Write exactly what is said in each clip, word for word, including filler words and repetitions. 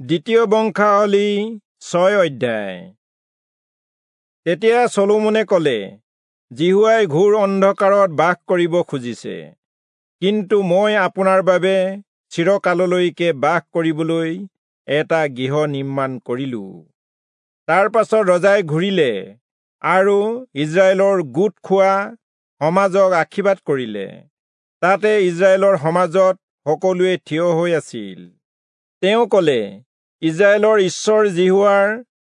দ্বিতীয় বংশাৱলী ছয় অধ্যায়। তেতিয়া চলোমনে কলে, যিহোৱাই ঘোৰ অন্ধকাৰত বাস কৰিব খুজিছে, কিন্তু মই আপোনাৰ বাবে চিৰকাললৈকে বাস কৰিবলৈ এটা গৃহ নিৰ্মাণ কৰিলো। তাৰ পাছত ৰজাই ঘূৰিলে আৰু ইস্ৰায়েলৰ গোট খোৱা সমাজক আশীৰ্বাদ কৰিলে। তাতে ইস্ৰায়েলৰ সমাজত সকলোৱে থিয় হৈ আছিল। তেওঁ কলে, ইস্ৰায়েলৰ ঈশ্বৰ যিহোৱাৰ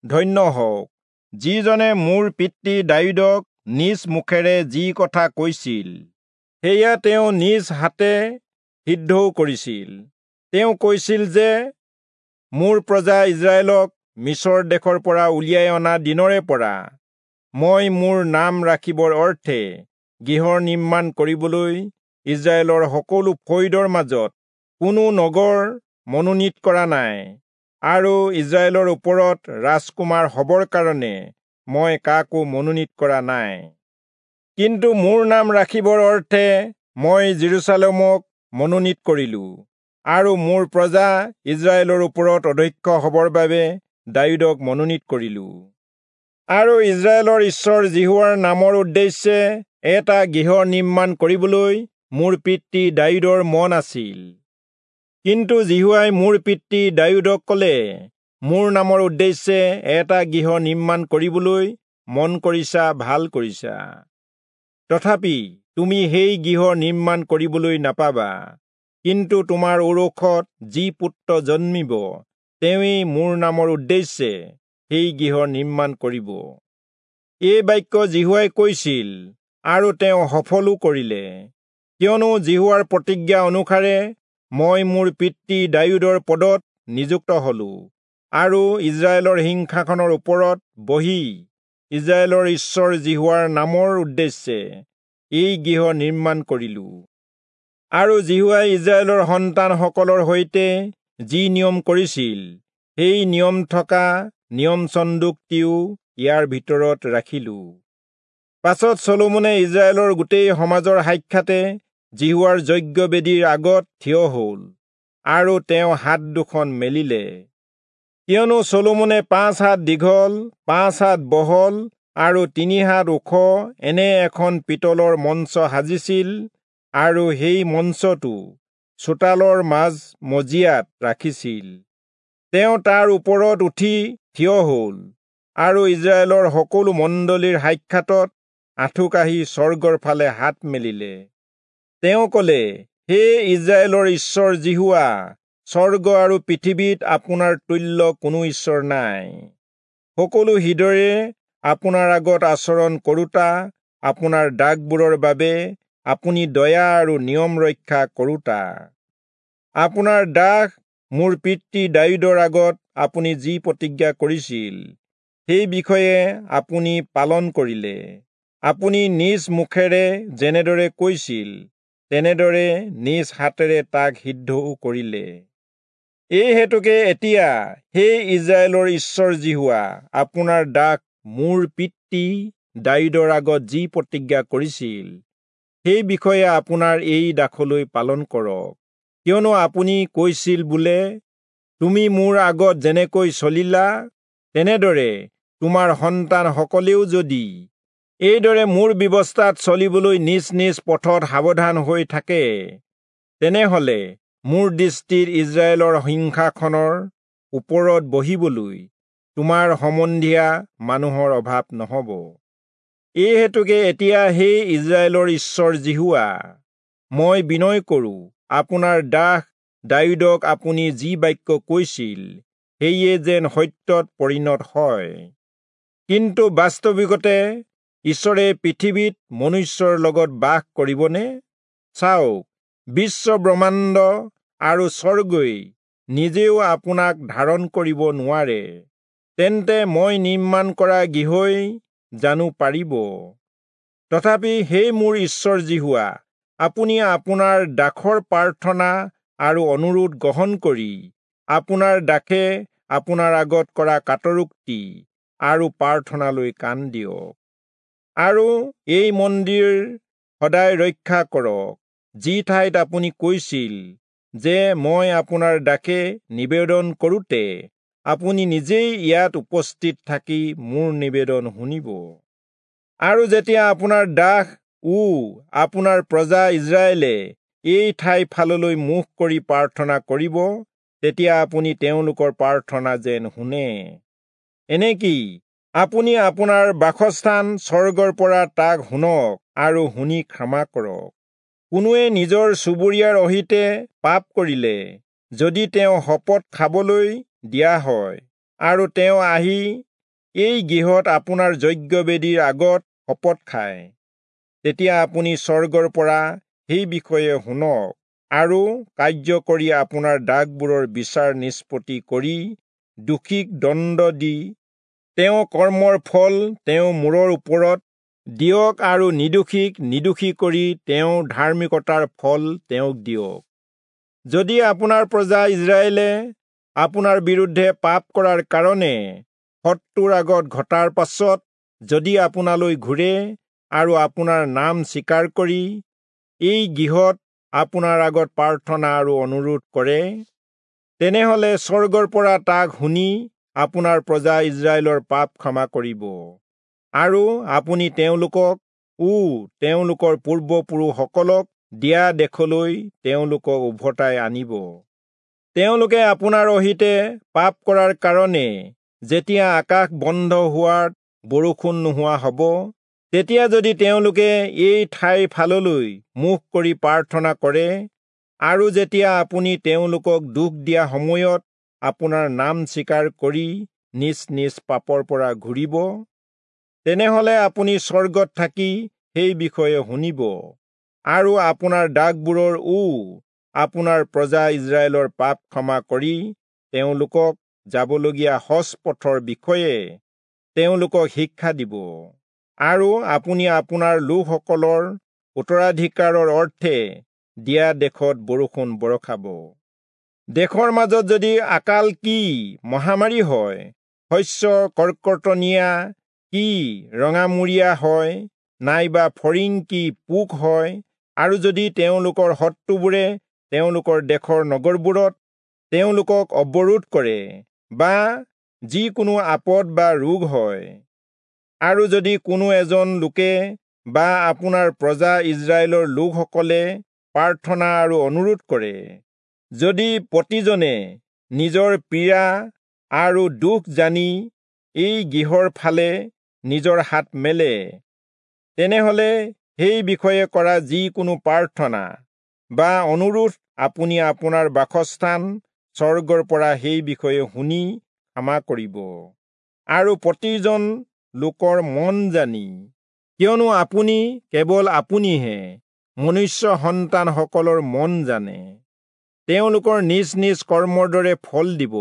ধন্য হওক, যিজনে মোৰ পিতৃ দায়ূদক নিজ মুখেৰে যি কথা কৈছিল সেয়া তেওঁ নিজ হাতে সিদ্ধও কৰিছিল। তেওঁ কৈছিল যে, মোৰ প্ৰজা ইস্ৰায়েলক মিচৰ দেশৰ পৰা উলিয়াই অনা দিনৰে পৰা মই মোৰ নাম ৰাখিবৰ অৰ্থে গৃহ নিৰ্মাণ কৰিবলৈ ইস্ৰায়েলৰ সকলো ফৈদৰ মাজত কোনো নগৰ মনোনীত কৰা নাই, আৰু ইস্ৰায়েলৰ ওপৰত ৰাজকুমাৰ হবৰ কাৰণে মই কাকো মনোনীত কৰা নাই। কিন্তু মোৰ নাম ৰাখিবৰ অৰ্থে মই যিৰূচালেমক মনোনীত কৰিলো, আৰু মোৰ প্ৰজা ইস্ৰায়েলৰ ওপৰত অধ্যক্ষ হবৰ বাবে দায়ূদক মনোনীত কৰিলো। আৰু ইস্ৰায়েলৰ ঈশ্বৰ যিহোৱাৰ নামৰ উদ্দেশ্যে এটা গৃহ নিৰ্মাণ কৰিবলৈ মোৰ পিতৃ দায়ূদৰ মন আছিল। কিন্তু যিহোৱাই মোৰ পিতৃ দায়ূদক কলে, মোৰ নামৰ উদ্দেশ্যে এটা গৃহ নিৰ্মাণ কৰিবলৈ মন কৰিছা, ভাল কৰিছা, তথাপি তুমি সেই গৃহ নিৰ্মাণ কৰিবলৈ নাপাবা। কিন্তু তোমাৰ ঔৰসত যি পুত্ৰ জন্মিব, তেওঁৱেই মোৰ নামৰ উদ্দেশ্যে সেই গৃহ নিৰ্মাণ কৰিব। এই বাক্য যিহোৱাই কৈছিল, আৰু তেওঁ সফলো কৰিলে। কিয়নো যিহোৱাৰ প্ৰতিজ্ঞা অনুসাৰে মই মোৰ পিতৃ দায়ূদৰ পদত নিযুক্ত হলো, আৰু ইস্ৰায়েলৰ সিংহাসনৰ ওপৰত বহি ইস্ৰায়েলৰ ঈশ্বৰ যিহোৱাৰ নামৰ উদ্দেশ্যে এই গৃহ নিৰ্মাণ কৰিলো। আৰু যিহোৱাই ইস্ৰায়েলৰ সন্তানসকলৰ সৈতে যি নিয়ম কৰিছিল, সেই নিয়ম থকা নিয়ম চন্দুকটিও ইয়াৰ ভিতৰত ৰাখিলো। পাছত চলোমনে ইস্ৰায়েলৰ গোটেই সমাজৰ সাক্ষাতে যিহোৱাৰ যজ্ঞবেদীৰ আগত থিয় হল, আৰু তেওঁ হাত দুখন মেলিলে। কিয়নো চলোমনে পাঁচ হাত দীঘল, পাঁচ হাত বহল আৰু তিনি হাত ওখ এনে এখন পিতলৰ মঞ্চ সাজিছিল, আৰু সেই মঞ্চটো চোতালৰ মাজ মজিয়াত ৰাখিছিল। তেওঁ তাৰ ওপৰত উঠি থিয় হল, আৰু ইস্ৰায়েলৰ সকলো মণ্ডলীৰ সাক্ষাতত আঁঠুকাঢ়ি স্বৰ্গৰ ফালে হাত মেলিলে। তেওঁ কলে, হে ইস্ৰায়েলৰ ঈশ্বৰ যিহোৱা, স্বৰ্গ আৰু পৃথিৱীত আপোনাৰ তুল্য কোনো ঈশ্বৰ নাই। সকলো হৃদয়েৰে আপোনাৰ আগত আচৰণ কৰোঁতা আপোনাৰ দাসবোৰৰ বাবে আপুনি দয়া আৰু নিয়ম ৰক্ষা কৰোঁতা। আপোনাৰ দাস মোৰ পিতৃ দায়ূদৰ আগত আপুনি যি প্ৰতিজ্ঞা কৰিছিল, সেই বিষয়ে আপুনি পালন কৰিলে। আপুনি নিজ মুখেৰে যেনেদৰে কৈছিল, তেনেদৰে নিজ হাতেৰে তাক সিদ্ধও কৰিলে। এই হেতুকে এতিয়া হে ইস্ৰায়েলৰ ঈশ্বৰ যিহোৱা, আপোনাৰ দাস মোৰ পিতৃ দায়ূদৰ আগত যি প্ৰতিজ্ঞা কৰিছিল, সেই বিষয়ে আপোনাৰ এই দাসলৈ পালন কৰক। কিয়নো আপুনি কৈছিল বোলে, তুমি মোৰ আগত যেনেকৈ চলিলা, তেনেদৰে তোমাৰ সন্তানসকলেও যদি এইদৰে মোৰ ব্যৱস্থাত চলিবলৈ নিজ নিজ পথত সাৱধান হৈ থাকে, তেনেহলে মোৰ দৃষ্টিত ইস্ৰায়েলৰ সিংহাসনৰ ওপৰত বহিবলৈ তোমাৰ সম্বন্ধীয়া মানুহৰ অভাৱ নহব। এই হেতুকে এতিয়া হে ইস্ৰায়েলৰ ঈশ্বৰ যিহোৱা, মই বিনয় কৰো, আপোনাৰ দাস দায়ূদক আপুনি যি বাক্য কৈছিল, সেয়ে যেন সত্যত পৰিণত হয়। কিন্তু বাস্তৱিকতে ঈশ্বৰে পৃথিৱীত মনুষ্যৰ লগত বাস কৰিবনে? চাওক, বিশ্ব ব্ৰহ্মাণ্ড আৰু স্বৰ্গই নিজেও আপোনাক ধাৰণ কৰিব নোৱাৰে, তেন্তে মই নিৰ্মাণ কৰা গৃহই জানো পাৰিব? তথাপি হে মোৰ ঈশ্বৰ যিহোৱা, আপুনি আপোনাৰ দাসৰ প্ৰাৰ্থনা আৰু অনুৰোধ গ্ৰহণ কৰি আপোনাৰ দাসে আপোনাৰ আগত কৰা কাতৰোক্তি আৰু প্ৰাৰ্থনালৈ কাণ দিয়ক, আৰু এই মন্দিৰ সদায় ৰক্ষা কৰক, যি ঠাইত আপুনি কৈছিল, যে মই আপোনাৰ দাসে নিবেদন কৰোঁতে আপুনি নিজেই ইয়াত উপস্থিত থাকি মোৰ নিবেদন শুনিব। আৰু যেতিয়া আপোনাৰ দাস ও আপোনাৰ প্ৰজা ইস্ৰায়েলে এই ঠাই ফাললৈ মুখ কৰি প্ৰাৰ্থনা কৰিব, তেতিয়া আপুনি তেওঁলোকৰ প্ৰাৰ্থনা যেন শুনে। এনেকি আপুনি আপোনাৰ বাসস্থান স্বৰ্গৰ পৰা তাক শুনক আৰু শুনি ক্ষমা কৰক। কোনোৱে নিজৰ চুবুৰীয়াৰ অহিতে পাপ কৰিলে যদি তেওঁ শপত খাবলৈ দিয়া হয় আৰু তেওঁ আহি এই গৃহত আপোনাৰ যজ্ঞবেদীৰ আগত শপত খায়, তেতিয়া আপুনি স্বৰ্গৰ পৰা সেই বিষয়ে শুনক আৰু কাৰ্য কৰি আপোনাৰ দাসবোৰৰ বিচাৰ নিষ্পত্তি কৰি দোষীক দণ্ড দি তেওঁ কৰ্মৰ ফল তেওঁ মূৰৰ ওপৰত দিয়ক আৰু নিৰ্দোষীক নিৰ্দোষী কৰি তেওঁৰ ধাৰ্মিকতাৰ ফল তেওঁক দিয়ক। যদি আপোনাৰ প্ৰজা ইস্ৰায়েলে আপোনাৰ বিৰুদ্ধে পাপ কৰাৰ কাৰণে শত্ৰুৰ আগত ঘটাৰ পাছত যদি আপোনালৈ ঘূৰে আৰু আপোনাৰ নাম স্বীকাৰ কৰি এই গৃহত আপোনাৰ আগত প্ৰাৰ্থনা আৰু অনুৰোধ কৰে, তেনেহলে স্বৰ্গৰ পৰা তাক শুনি আপোনাৰ প্ৰজা ইস্ৰায়েলৰ পাপ ক্ষমা কৰিব আৰু আপুনি তেওঁলোকক ও তেওঁলোকৰ পূৰ্বপুৰুষসকলক দিয়া দেশলৈ তেওঁলোকক উভতাই আনিব। তেওঁলোকে আপোনাৰ অহিতে পাপ কৰাৰ কাৰণে যেতিয়া আকাশ বন্ধ হোৱাত বৰষুণ নোহোৱা হ'ব, তেতিয়া যদি তেওঁলোকে এই ঠাইৰ ফাললৈ মুখ কৰি প্ৰাৰ্থনা কৰে আৰু যেতিয়া আপুনি তেওঁলোকক দুখ দিয়া সময়ত আপোনাৰ নাম স্বীকাৰ কৰি নিজ নিজ পাপৰ পৰা ঘূৰিব, তেনেহলে আপুনি স্বৰ্গত থাকি সেই বিষয়ে শুনিব আৰু আপোনাৰ দাসবোৰৰ ও আপোনাৰ প্ৰজা ইস্ৰায়েলৰ পাপ ক্ষমা কৰি তেওঁলোকক যাবলগীয়া সজ পথৰ বিষয়ে তেওঁলোকক শিক্ষা দিব আৰু আপুনি আপোনাৰ লোকসকলৰ উত্তৰাধিকাৰৰ অৰ্থে দিয়া দেশত বৰষুণ বৰষাব। দেশৰ মাজত যদি আকাল কি মহামাৰী হয়, শস্য কৰ্কটনীয়া কি ৰঙামূৰীয়া হয়, নাইবা ফৰিং কি পোক হয়, আৰু যদি তেওঁলোকৰ শত্ৰুবোৰে তেওঁলোকৰ দেশৰ নগৰবোৰত তেওঁলোকক অৱৰোধ কৰে বা যিকোনো আপদ বা ৰোগ হয়, আৰু যদি কোনো এজন লোকে বা আপোনাৰ প্ৰজা ইস্ৰায়েলৰ লোকসকলে প্ৰাৰ্থনা আৰু অনুৰোধ কৰে, যদি প্ৰতিজনে নিজৰ পীড়া আৰু দুখ জানি এই গৃহৰ ফালে নিজৰ হাত মেলে, তেনেহলে সেই বিষয়ে কৰা যিকোনো প্ৰাৰ্থনা বা অনুৰোধ আপুনি আপোনাৰ বাসস্থান স্বৰ্গৰ পৰা সেই বিষয়ে শুনি ক্ষমা কৰিব আৰু প্ৰতিজন লোকৰ মন জানি, কিয়নো আপুনি কেৱল আপুনিহে মনুষ্য সন্তানসকলৰ মন জানে, তেওঁলোকৰ নিজ নিজ কৰ্মৰ দৰে ফল দিব।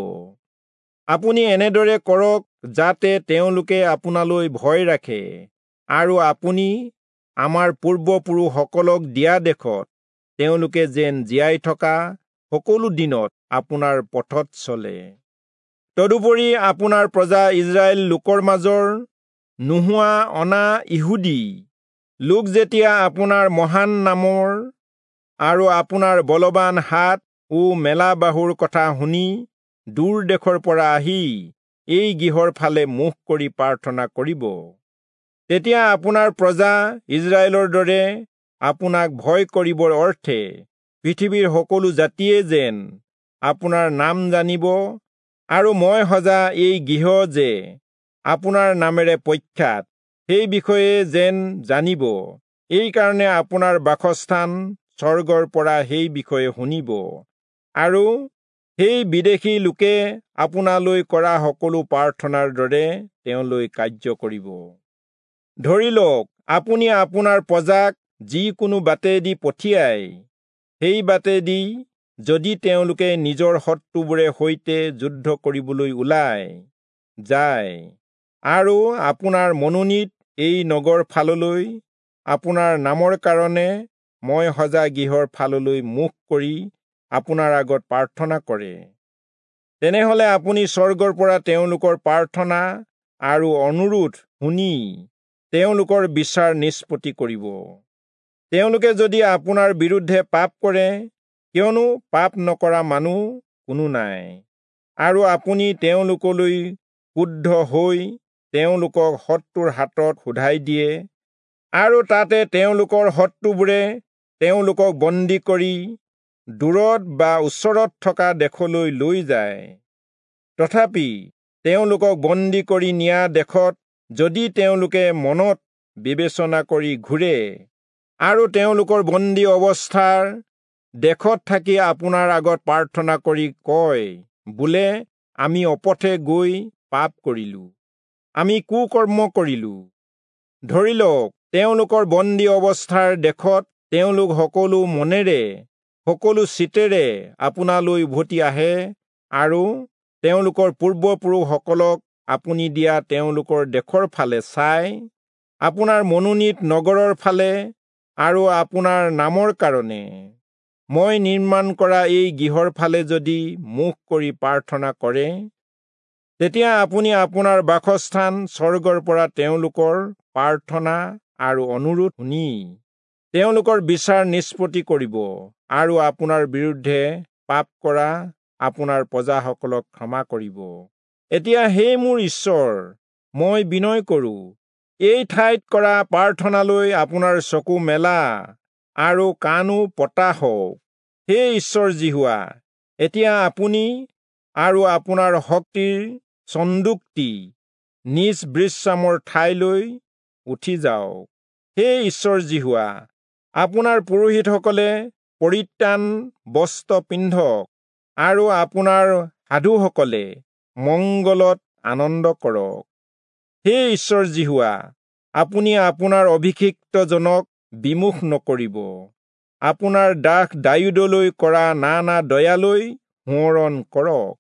আপুনি এনেদৰে কৰক যাতে তেওঁলোকে আপোনালৈ ভয় ৰাখে আৰু আপুনি আমাৰ পূৰ্বপুৰুষসকলক দিয়া দেশত তেওঁলোকে যেন জীয়াই থকা সকলো দিনত আপোনাৰ পথত চলে। তদুপৰি আপোনাৰ প্ৰজা ইস্ৰায়েল লোকৰ মাজৰ নোহোৱা অনা ইহুদী লোক যেতিয়া আপোনাৰ মহান নামৰ আৰু আপোনাৰ বলৱান হাত ও মেলা বাহুৰ কথা শুনি দূৰ দেশৰ পৰা আহি এই গৃহৰ ফালে মুখ কৰি প্ৰাৰ্থনা কৰিব, তেতিয়া আপোনাৰ প্ৰজা ইস্ৰায়েলৰ দৰে আপোনাক ভয় কৰিবৰ অৰ্থে পৃথিৱীৰ সকলো জাতিয়ে যেন আপোনাৰ নাম জানিব আৰু মই সজা এই গৃহ যে আপোনাৰ নামেৰে প্ৰখ্যাত সেই বিষয়ে যেন জানিব, এইকাৰণে আপোনাৰ বাসস্থান স্বৰ্গৰ পৰা সেই বিষয়ে শুনিব আৰু সেই বিদেশী লোকে আপোনালৈ কৰা সকলো প্ৰাৰ্থনাৰ দৰে তেওঁলৈ কাৰ্য কৰিব। ধৰি লওক, আপুনি আপোনাৰ প্ৰজাক যিকোনো বাটেদি পঠিয়াই, সেই বাটেদি যদি তেওঁলোকে নিজৰ শত্ৰুবোৰে সৈতে যুদ্ধ কৰিবলৈ ওলাই যায় আৰু আপোনাৰ মনোনীত এই নগৰ ফাললৈ আপোনাৰ নামৰ কাৰণে মই সজা গৃহৰ ফাললৈ মুখ কৰি আপোনাৰ আগত প্ৰাৰ্থনা কৰে, তেনেহলে আপুনি স্বৰ্গৰ পৰা তেওঁলোকৰ প্ৰাৰ্থনা আৰু অনুৰোধ শুনি তেওঁলোকৰ বিচাৰ নিষ্পত্তি কৰিব। তেওঁলোকে যদি আপোনাৰ বিৰুদ্ধে পাপ কৰে, কিয়নো পাপ নকৰা মানুহ কোনো নাই। আৰু আপুনি তেওঁলোকলৈ ক্ৰুদ্ধ হৈ তেওঁলোকক শত্ৰুৰ হাতত শোধাই দিয়ে, আৰু তাতে তেওঁলোকৰ শত্ৰুবোৰে তেওঁলোকক বন্দী কৰি দূৰত বা ওচৰত থকা দেশলৈ লৈ যায়। তথাপি তেওঁলোকক বন্দী কৰি নিয়া দেশত যদি তেওঁলোকে মনত বিবেচনা কৰি ঘূৰে আৰু তেওঁলোকৰ বন্দী অৱস্থাৰ দেশত থাকি আপোনাৰ আগত প্ৰাৰ্থনা কৰি কয়, বোলে আমি অপথে গৈ পাপ কৰিলো, আমি কুকৰ্ম কৰিলো। ধৰি লওক, তেওঁলোকৰ বন্দী অৱস্থাৰ দেশত তেওঁলোক সকলো মনেৰে সকলো চিতেৰে আপোনালৈ উভতি আহে আৰু তেওঁলোকৰ পূৰ্বপুৰুষসকলক আপুনি দিয়া তেওঁলোকৰ দেশৰ ফালে চাই আপোনাৰ মনোনীত নগৰৰ ফালে আৰু আপোনাৰ নামৰ কাৰণে মই নিৰ্মাণ কৰা এই গৃহৰ ফালে যদি মুখ কৰি প্ৰাৰ্থনা কৰে, তেতিয়া আপুনি আপোনাৰ বাসস্থান স্বৰ্গৰ পৰা তেওঁলোকৰ প্ৰাৰ্থনা আৰু অনুৰোধ শুনি তেওঁলোকৰ বিচাৰ নিষ্পত্তি কৰিব আৰু আপোনাৰ বিৰুদ্ধে পাপ কৰা আপোনাৰ প্ৰজাসকলক ক্ষমা কৰিব। এতিয়া হে মোৰ ঈশ্বৰ, মই বিনয় কৰোঁ, এই ঠাইত কৰা প্ৰাৰ্থনালৈ আপোনাৰ চকু মেলা আৰু কাণো পতা হওক। হে ঈশ্বৰ যিহোৱা, এতিয়া আপুনি আৰু আপোনাৰ শক্তিৰ চন্দুকটি নিজ বিশ্ৰামৰ ঠাইলৈ উঠি যাওক। হে ঈশ্বৰ যিহোৱা, আপোনাৰ পুৰোহিতসকলে পৰিত্ৰাণ বস্ত্ৰ পিন্ধক আৰু আপোনাৰ সাধুসকলে মংগলত আনন্দ কৰক। হে ঈশ্বৰ যিহোৱা, আপুনি আপোনাৰ অভিষিক্তজনক বিমুখ নকৰিব। আপোনাৰ দাস দায়ূদলৈ কৰা নানা দয়ালৈ সোঁৱৰণ কৰক।